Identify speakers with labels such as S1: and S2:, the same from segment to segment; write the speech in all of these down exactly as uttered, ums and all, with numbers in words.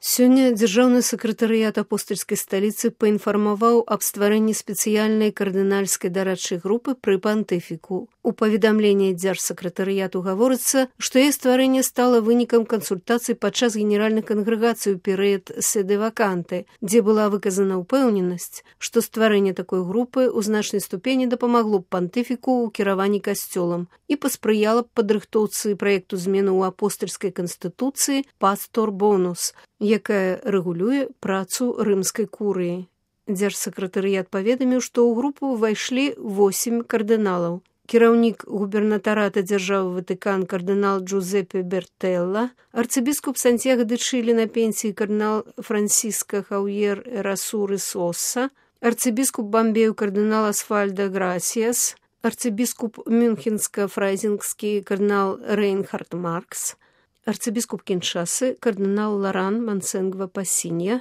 S1: Сёння дзяржаўны сакратарыят апостальскай сталіцы паінфармаваў аб стварэнні спецыяльнай кардынальскай дарадчай групы пры пантыфіку. У паведамленні дзяржсакратарыяту гаворыцца, што яе стварэнне стала вынікам кансультацый падчас генеральных кангрэгацый у перыяд седэ-ваканты, дзе была выказана ўпэўненасць, што стварэнне такой групы ў значнай ступені дапамагло б пантыфіку ў кіраванні касцёлам і паспрыяла б падрыхтоўцы праекту змены ў апостальскай канстытуцыі «Пастор Бонус», якая рэгулюе працу рымскай курыі. Дзяржсакратарыят паведаміў, што ў групу ўвайшлі восем кардыналаў. Кіраўнік губернатарата дзяржавы Ватыкан кардынал Джузеппе Бертэлла, арцыбіскуп Сантьяго де Чилі на пенсіі кардынал Франсіско Хаўьер Эрасуры Сосса, арцыбіскуп Бамбею кардынал Асфальдо Грасиас, арцыбіскуп Мюнхенска-фрайзингскі кардынал Рейнхард Маркс, арцыбіскуп Кіншасы кардынал Лоран Мансенгва Пасінья,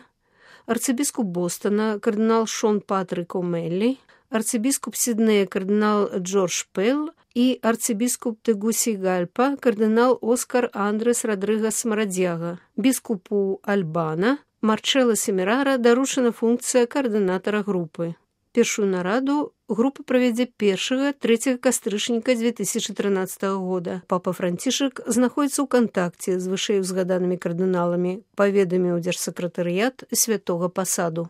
S1: арцыбіскуп Бостона кардынал Шон Патрик О'Меллі, арцыбіскуп Сіднея кардынал Джордж Пэл і арцыбіскуп Тегусігальпа кардынал Оскар Андрес Родригес Марадзяга. Біскупу Альбана Марчелло Семерара даручана функцыя каардынатара групы. Першую нараду група правядзе першага трэцяга кастрычніка дзве тысячы трынаццатага года. Папа Францішак знаходзіцца ў кантакце з вышэйузгаданымі кардыналамі, паведаміў дзяржсакратарыят святога пасаду.